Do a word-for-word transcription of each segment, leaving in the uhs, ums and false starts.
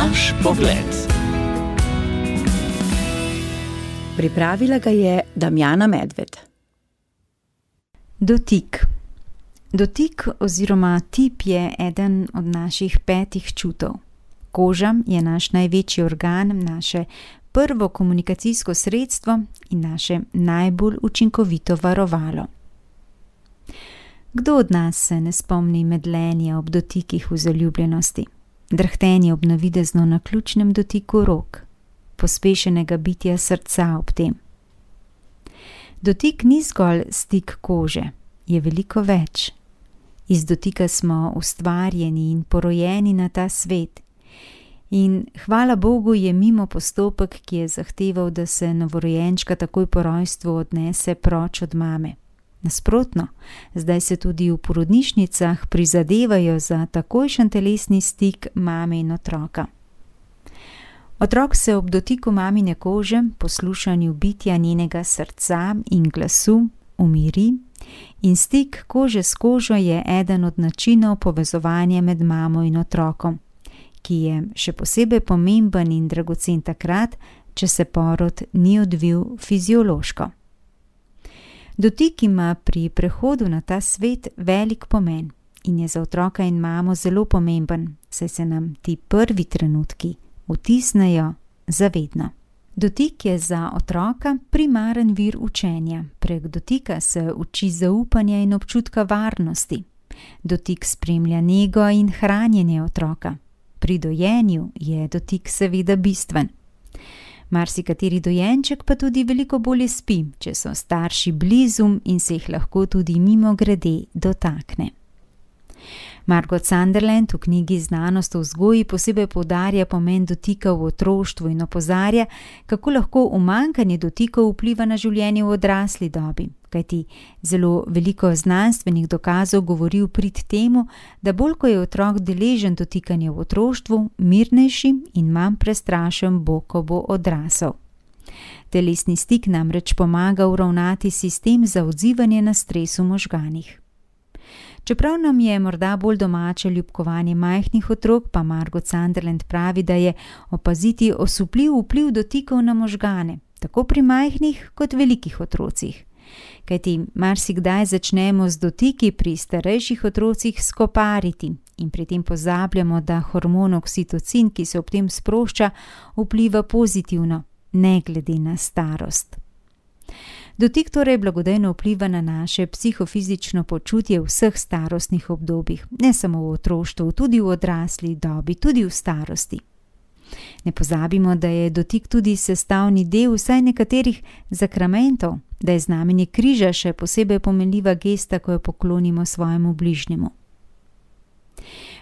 Naš pogled. Pripravila ga je Damjana Medved. Dotik. Dotik oziroma tip je eden od naših petih čutov. Koža je naš največji organ, naše prvo komunikacijsko sredstvo in naše najbolj učinkovito varovalo. Kdo od nas se ne spomni medlenja ob dotikih v zaljubljenosti, drhtenje ob navidezno naključnem dotiku rok, pospešenega bitja srca ob tem? Dotik ni zgolj stik kože, je veliko več. Iz dotika smo ustvarjeni in porojeni na ta svet. In hvala Bogu je mimo postopek, ki je zahteval, da se novorojenčka takoj po rojstvu odnese proč od mame. Nasprotno, zdaj se tudi v porodnišnicah prizadevajo za takojšen telesni stik mame in otroka. Otrok se ob dotiku mamine kože, poslušanju bitja njenega srca in glasu, umiri in stik kože s kožo je eden od načinov povezovanja med mamo in otrokom, ki je še posebej pomemben in dragocen takrat, če se porod ni odvil fiziološko. Dotik ima pri prehodu na ta svet velik pomen in je za otroka in mamo zelo pomemben, saj se nam ti prvi trenutki vtisnejo zavedno. Dotik je za otroka primaren vir učenja. Prek dotika se uči zaupanja in občutka varnosti. Dotik spremlja nego in hranjenje otroka. Pri dojenju je dotik seveda bistven. Marsikateri dojenček pa tudi veliko bolje spi, če so starši blizu in se jih lahko tudi mimogrede dotakne. Margot Sunderland v knjigi Znanost o vzgoji posebej poudarja pomen dotika v otroštvu in opozarja, kako lahko umanjkanje dotikov vpliva na življenje v odrasli dobi, kajti zelo veliko znanstvenih dokazov govori v prid temu, da bolj ko je otrok deležen dotikanja v otroštvu, mirnejši in manj prestrašen bo, ko bo odrasel. Telesni stik namreč pomaga uravnati sistem za odzivanje na stres v možganih. Čeprav nam je morda bolj domače ljubkovanje majhnih otrok, pa Margot Sunderland pravi, da je opaziti osupljiv vpliv dotikov na možgane, tako pri majhnih kot velikih otrocih. Kajti marsikdaj začnemo z dotiki pri starejših otrocih skopariti in pri tem pozabljamo, da hormon oksitocin, ki se ob tem sprošča, vpliva pozitivno, ne glede na starost. Dotik torej blagodejno vpliva na naše psihofizično počutje v vseh starostnih obdobjih, ne samo v otroštvu, tudi v odrasli dobi, tudi v starosti. Ne pozabimo, da je dotik tudi sestavni del vsaj nekaterih zakramentov, da je znamenje križa še posebej pomenljiva gesta, ko jo poklonimo svojemu bližnjemu.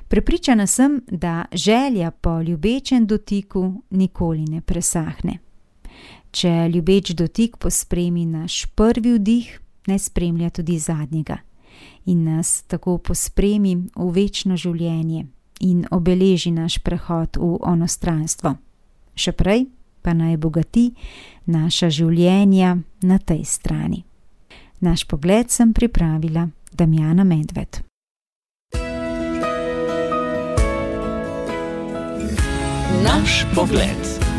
Prepričana sem, da želja po ljubečem dotiku nikoli ne presahne. Če ljubeč dotik pospremi naš prvi vdih, ne spremlja tudi zadnjega in nas tako pospremi v večno življenje in obeleži naš prehod v onostranstvo. Še prej pa naj bogati naša življenja na tej strani. Naš pogled sem pripravila Damjana Medved. Naš pogled.